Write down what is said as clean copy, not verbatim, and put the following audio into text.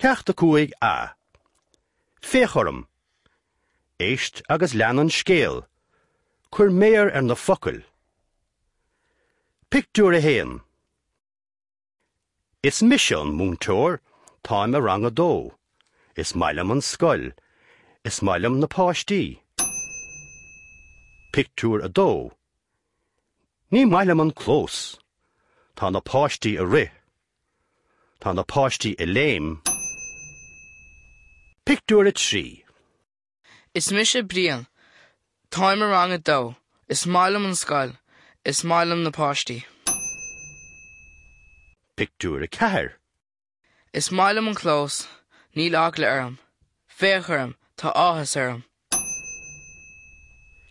Ceacht 5A. Féach orm. Éist agus lean an scéal. Cuir méar ar na focail. Pictiúr 1. Is mise an múinteoir, táim i rang a dó. Is maith liom an scoil. Is maith liom na páistí. Pictiúr 2. Ní maith liom an clós. Tá na páistí ag rith. Tá na páistí ag léim. Pictiúr 3. Is mise Brian. Táim i rang a dó. Is maith liom an scoil. Is maith liom na páistí. Pictiúr 4. Is maith liom an clós. Níl eagla orm. Féach orm, tá áthas orm.